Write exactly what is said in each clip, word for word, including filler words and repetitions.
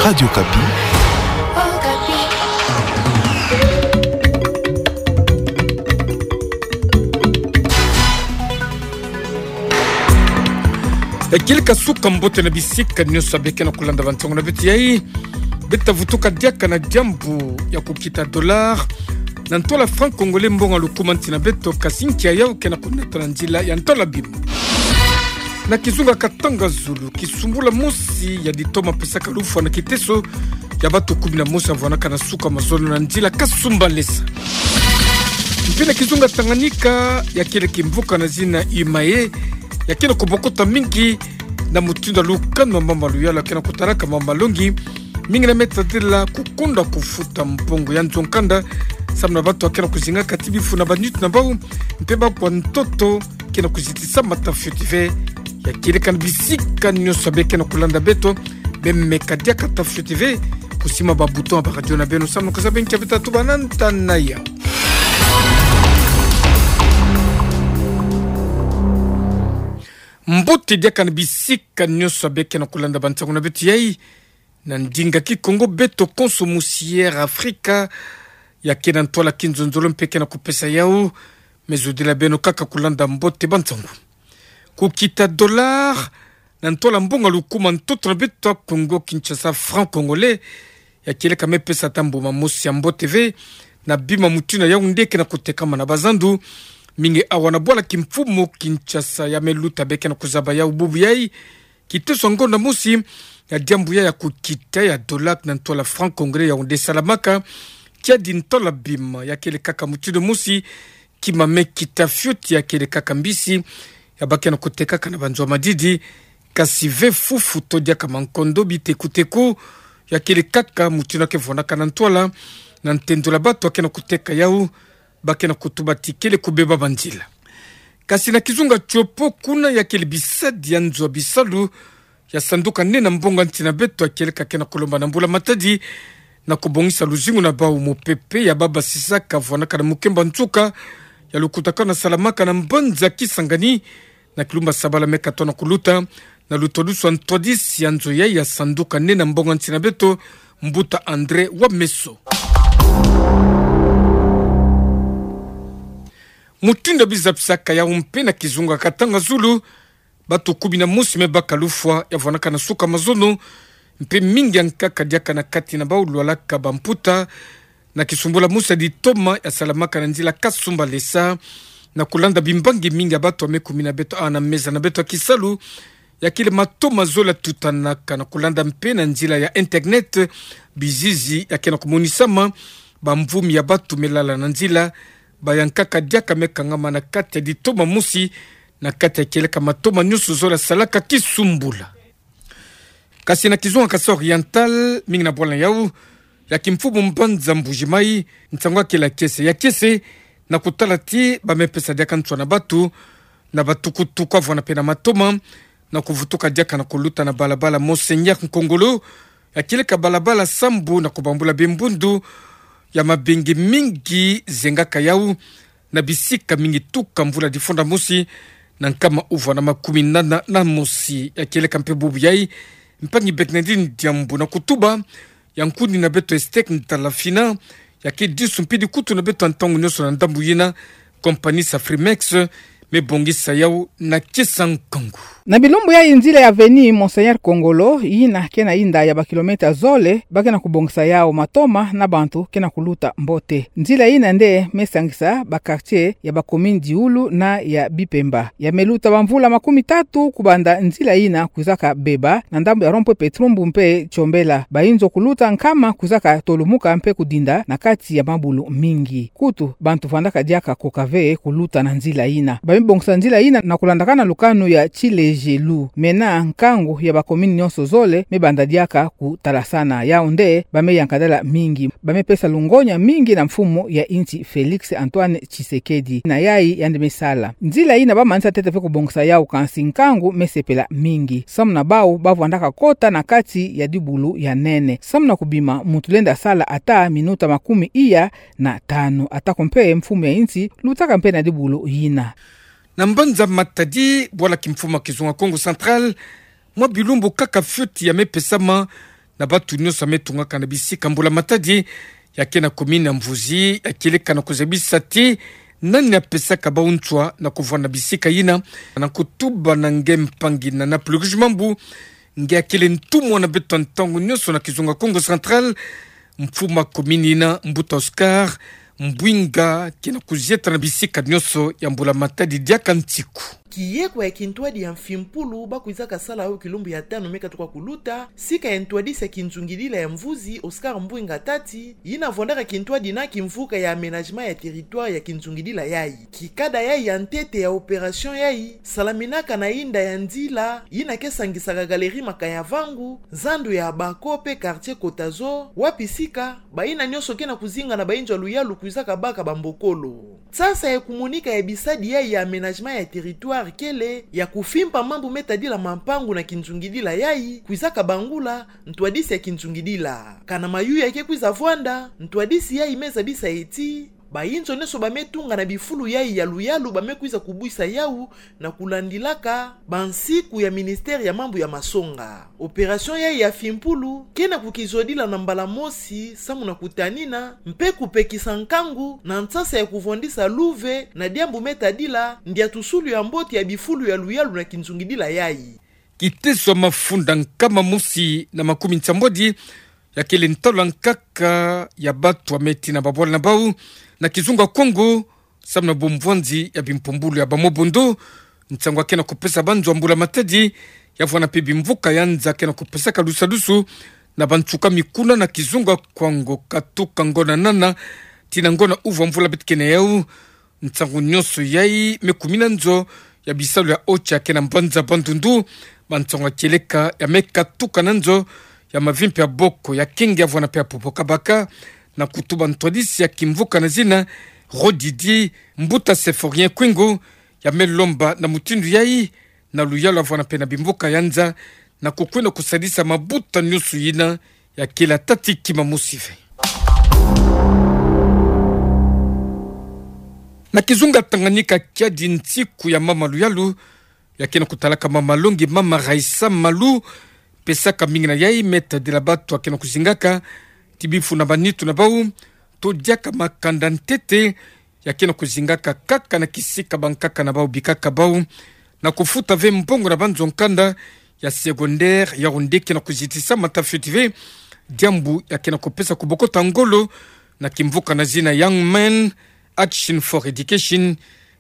Radio Okapi. Ya kieleka suka mbote na bisika nyonso abe ke na kulanda bansango na beto yai. Beto tavutuka diaka na diambu ya kukita dollar na ntola franc congolais mbongo lukumanti na beto, kasi nkia yau ke na kunata na nzila ya ntola bima. Na kizunga katanga zulu, kisumbula mosi ya ditoma pesaka lufwa na kiteso ya bato kumi na mosi avwanaka na suka mazono na nzila Kasumbalesa. Mpe na kizunga Tanganyika, ya kieleka mvuka na zina Imaye, ya ke na kubokota mingi na mutindu ya lukanu wa mama Luyala, ya ke na kutalaka mama Longi, mingi na me tadila kukonda kufuta mbongo ya nzo nkanda, samu na bato ya ke na kuzingaka ti bifu na banitu na bau, mpe bakwa ntoto ke na kuzitisama ta fioti ve. Ya kieleka na bisika nyonso abe ke na kulanda beto, bemeka diaka ta fioti ve, kusima ba bouton ya ba radio na beno samu na kuzaba nkia beto tatuba na ntanaya. Mbote diaka na bisika nyonso abe ke na kulanda bansango na beto yai. Na ndinga Kikongo beto konso musi Air Africa, ya ke na ntwala kinzonzolo mpe ke na kupesa yau, me zodila beno kaka kulanda mbote bansango. Kukita dollar na ntwala mbongo lukuma ntoto na beto ya Congo Kinshasa, franc congolais, ya kieleka me pesa ta mbuma mosi ya mbote ve na bima mutindu yau nde ke na kutekama na bazandu, mingi awa na bwala kimfumu Kinshasa ya me luta be ke na kuzaba yau bubu yai. Kiteso ngonda mosi ya diambu ya, ya kukita ya dollar na ntwala franc congolais yau nde salamaka, kiadi ntola bima, ya kieleka kaka mutindu mosi, kima me kita fioti, ya kieleka kaka mbisi ya ba ke na kutekaka na banzo ya madidi, kasi ve fufu to diaka mankondo, biteku-teku, ya kieleka kaka mutindu ya ke vwanaka na ntwala, na ntendula bato ya ke na kuteka yau, ba ke na kutuba ti kele kubeba banzila. Kasi na kizunga Tshopo kuna, ya kieleka bisadi ya nzo ya bisalu ya sanduka nene ya mbongo ya nsi na beto ya kieleka ke na kulomba na mbula matadi na kubongisa luzingu na bau. Mupepe ya babasisa kavwanaka na Mukemba Nsuka, ya lukutakanu ya salamaka na mbanza Kisangani, na kilumbu ya sabala me katoa na kuluta, na lutwadusu ya ntwadisi ya nzo yai ya sanduka nene ya mbongo ya nsi na beto, Mbuta André Wameso. Mutindu ya bizapisaka yau mpe na kizunga Katanga Zulu, bato kumi na mosi me baka lufwa ya vwanaka na suka mazono, mpe mingi ya nkaka diaka na kati na bau lwalaka bamputa, na kisumbula mosi ya ditoma ya salamaka na nzila Kasumbalesa, na kulanda bimbangi mingi ya bato ya me kumi na beto awa na meza na beto ya kisalu, ya kele matoma zole ya tutanaka na kulanda mpe na nzila ya internet, bizizi ya ke na kumonisama, bamvumi ya bato me lala na nzila, ba ya nkaka diaka me kangama na kati ya ditoma mosi, na kati ya kieleka matoma nyonso zole ya salaka kisumbula. Kasi na kizunga Kasaï Oriental, mingi na bwala yau ya kimfumu mbanza Mbuji-Mayi, nsango ya kele ya kiese. Ya kiese, na kutala ti ba me pesa diaka nswa na bato, na batukutuku avwana mpe na matoma, na kuvutuka diaka na kuluta na balabala Monseigneur Nkongolo, ya kieleka balabala sambu, na kubambula bimbundu ya mabenge mingi zengaka yau, na bisika mingi tuka mvula difunda mosi, na nkama uvwa na makumi nana na mosi. Ya kieleka mpe bubu yai, mpangi Bernardine Diambu na kutuba ya nkuni na beto Estek Ntalafina, ya ke disu mpidi kutu na beto ya ntangu nyonso na ndambu yina, compagnie Safrimex me bongisa yau na kiesa nkangu. Na bilumbu yai nzila ya avenue Monseigneur Nkongolo, yina ke na inda ya bakilomètre zole, ba ke na kubongisa yau matoma na bantu ke na kuluta mbote. Nzila yina nde me sangisa ba quartier ya ba commune Diulu na ya Bipemba. Ya me luta bamvula makumi tatu kubanda nzila yina kwizaka beba na ndambu ya rond-point Petrumbu mpe Tchombela. Bayinzo kuluta nkama kwizaka tolumuka mpe kudinda na kati ya mabulu mingi. Kutu, bantu vandaka diaka koka ve kuluta na nzila yina. Ba me bongisa nzila yina na kulandakana lukanu ya Tshilejelu. Mena nkangu ya ba commune nyonso zole me banda diaka kutalasana. Yau nde ba me yankadala mingi. Ba me pesa lungonya mingi na mfumu ya insi Félix Antoine Tshisekedi na yai yandi me sala. Nzila yina ba manisa ntete ve kubongisa yau, kansi nkangu me sepela mingi. Samu na bau ba vandaka kota na kati ya dibulu ya nene. Samu na kubima, muntu lenda sala ata minuta makumi iya na tanu, atako mpe mfumu ya insi lutaka mpe na dibulu yina. Na mbanza Matadi, bwala kimfumu ya kizunga Kongo Central, mwa bilumbu kaka fioti ya me pesama na batu nyonso me tungaka na bisika mbula matadi, ya ke na kumini mvuzi, ya kieleka na kuzabisa ti nani apesaka bau ntswa na kuvwanda bisika yina, na kutuba na nge mpangi na Napluguj Mambu, nge akele ntumwa na beto ntangu nyonso na kizunga Kongo Central, mfuma kumini na Mbuta Oscar Mbwinga, ke na kuzieta na bisika nyonso ya mbula matadi diaka nsiku. Kiyekwa ya kintwadi ya Mfimpulu ba kwizaka sala yo kilumbu ya tanu me katuka kuluta, sika ya ntwadisi ya kinzungidila ya mvuzi Oscar Mbwinga Tati, yina vwandaka kintwadi na kimvuka ya aménagement ya territoire ya kinzungidila yayi. Kikada yayi ya ntete ya opération yayi salaminaka na inda ya nzila yina ke sangisaka galerie Makayavangu, zandu ya Abako pe quartier Kotazo, wapi sika bayina nyonso ke na kuzinga na bayinzo ya luyalu kwizaka baka bambokolo. Nsasa ya kumonika ya bisadi yayi ya aménagement ya territoire kele ya kufimpa mambu me tadila mampangu na kinzungidila yayi, kwizaka bangula ntwadisi ya kinzungidila. Kana mayuya ke kwiza vwanda, ntwadisi yayi me zabisa ti bayinzo nyonso ba me tunga na bifulu yayi ya luyalu ba me kwiza kubwisa yawu na kulandilaka bansiku ya ministère ya mambu ya masonga. Opération yayi ya Fimpulu ke na kukizodila na mbala mosi samu na kutanina mpe kupekisa nkangu na nsasa ya kuvwandisa luve na diambu me tadila ndiatusulu ya mbote ya bifulu ya luyalu na kinzungidila yayi. Kiteso ya mafunda nkama mosi na makumi nsambwadi ya kele ntalu ya nkaka ya batu ya me tina babwala na bau na kizunga Kongo, samu na bumvwanzi ya bimpumbulu ya ba Mobondo, nsangu ya ke na kupesa banzo ya mbula matadi, ya vwanda mpe bimvuka ya nza ke na kupesaka lusadusu na bansuka mikuna na kizunga Kongo, katuka ngona nana tina ngona uvu ya mvula beto ke na yau. Nsangu nyonso yayi me kumina nzo ya bisalu ya ocha ke na mbanza Bandundu, bansangu ya kieleka ya me katuka na nzo ya mavimpi ya boko ya kenge ya vwanda mpe ya popo kabaka, na kutuba ntwadisi ya kimvuka na zina Rodidi Mbuta Symphorien Kwingu, ya me lomba na mutindu yayi na luyalu ya vwanda mpe na bimvuka ya nza, na kukwenda kusadisa mabuta nyonso yina ya kele tati kima mosi ve. Na kizunga Tanganyika, kiadi nsiku ya mama luyalu, ya ke na kutalaka mama longi, mama Raissa Malu, pesaka mingi na yayi me tadila batu ya ke na kuzingaka ti bifuna ba nitu na bau, to diaka makanda ntete, ya ke na kuzingaka kaka na kisika bankaka na bau bikaka bau, na kufuta ve mbongo na banzo nkanda ya secondaire, yau nde ke na kuzitisa mata fioti ve diambu ya ke na kupesa kubokota ngolo na kimvuka na zina Young Men Action for Education,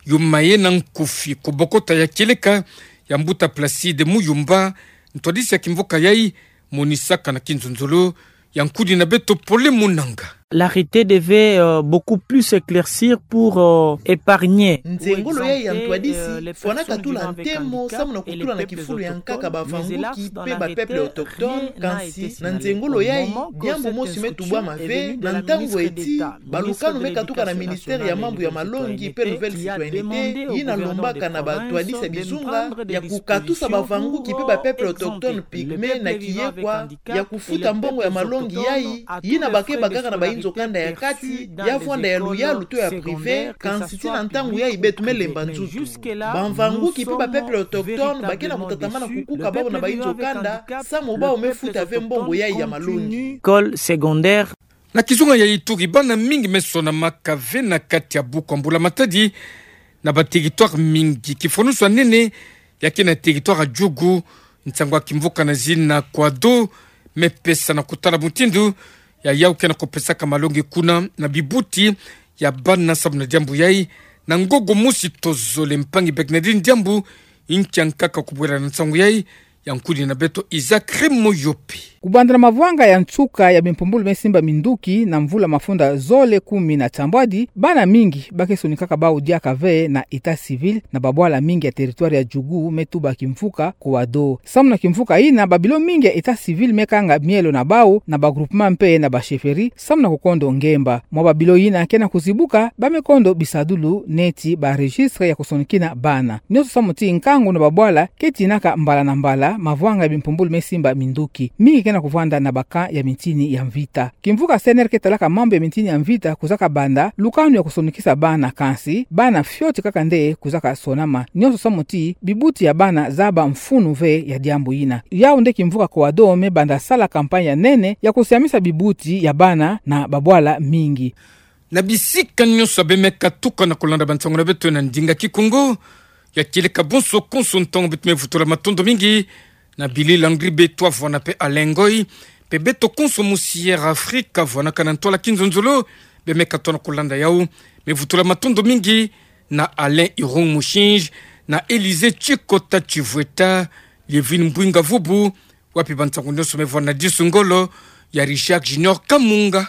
Yuma ye na nkufi. Kubokota ya kieleka ya mbuta Placide Muyumba, ntwadisi ya kimvuka yayi, monisaka na kinzonzolo ya nkudi na beto Pole Munanga. L'arrêté devait, euh, beaucoup plus s'éclaircir pour, euh, épargner. Nzengolo yayi ya ntwadisi fwanaka tula ntemo samu na kutula na kifulu ya nkaka bavanguki mpe ba peuples autochtones, kansi na nzengolo yayi diambu mosi me tubwama ve, na ntangu eti balukanu me katuka na ministère ya mambu ya malongi mpe nouvelle citoyenneté, yina lombaka na bantwadisi ya bizunga ya kukatusa bavanguki mpe ba peuples autochtones pygmées na kiyekwa ya kufuta mbongo ya malongi yayi, yina ba ke bakaka na bayinzo kanda ya kati, ya vwanda ya luyalu to ya privé, kansi ti na ntangu yayi beto me lemba nzutu. Bavanguki mpe ba peuples autochtones ba ke na kutatamana kukuka bau na bayinzo kanda, samu bau me futa ve mbongo yayi ya malongi. École secondaire. Na kizunga ya Ituri, bana mingi me sonamaka ve na kati ya buku ya mbula matadi na ba territoires mingi. Kifwanusu ya nene ya ke na territoire ya Djugu, nsangu ya kimvuka na zina Kouado me pesa na kutala mutindu ya yau ke na kupesaka malongi kuna na bibuti ya bana. Samu na diambu yayi, na ngogo mosi tozole, mpangi Bernardine Diambu, inkia nkaka kubwela na nsangu yayi, ya nkudi na beto Isaac Remoyope. Kubanda na mavwanga ya nsuka ya bimpumbulu me simba minduki na mvula mafunda zole kumi na nsambwadi, bana mingi ba ke sonikaka bau diaka ve na état civil na babwala mingi ya territoire ya Djugu me tuba kimvuka Kouado. Samu na kimvuka yina, ba bilo mingi ya état civil me kanga mielo na bau na ba groupement mpe na ba chefferie, samu na kukondo ngemba. Mwa ba bilo yina ke na kuzibuka, ba me kondo bisadulu neti ba registres ya kusonikina bana. Nyonso samu ti nkangu na babwala ke tinaka mbala na mbala mavwanga ya bimpumbulu me simba minduki. Mingi ke na kuvwanda na ba camp ya mintini ya mvita. Kimvuka C N R ke talaka mambu ya mintini ya mvita kuzaka banda lukanu ya kusonukisa bana, kansi bana fioti kaka nde kuzaka sonama, nionso samu ti bibuti ya bana zaba mfunu ve ya diambu yina. Yau nde kimvuka COADO me banda sala campagne ya nene ya kusiamisa bibuti ya bana na babwala mingi. Na bisika nionso bemeka tuka na kulanda bansangu na beto na ndinga Kikongo, ya kieleka bonso konso ntangu beto me vutula matondo mingi na Billy Landry Betwa vwena pe Alain Ngoy, pe beto konso mu Sierra Africa vwanaka na ntwala kinzonzolo, bemeka tona kulanda yau, me vutula matondo mingi na Alain Irung Mushinji, na Elysée Chikota Chivweta, Lievine Mbwinga Vubu, wapi bansangu nionso me vwena disu ngolo ya Richard Junior Kamunga.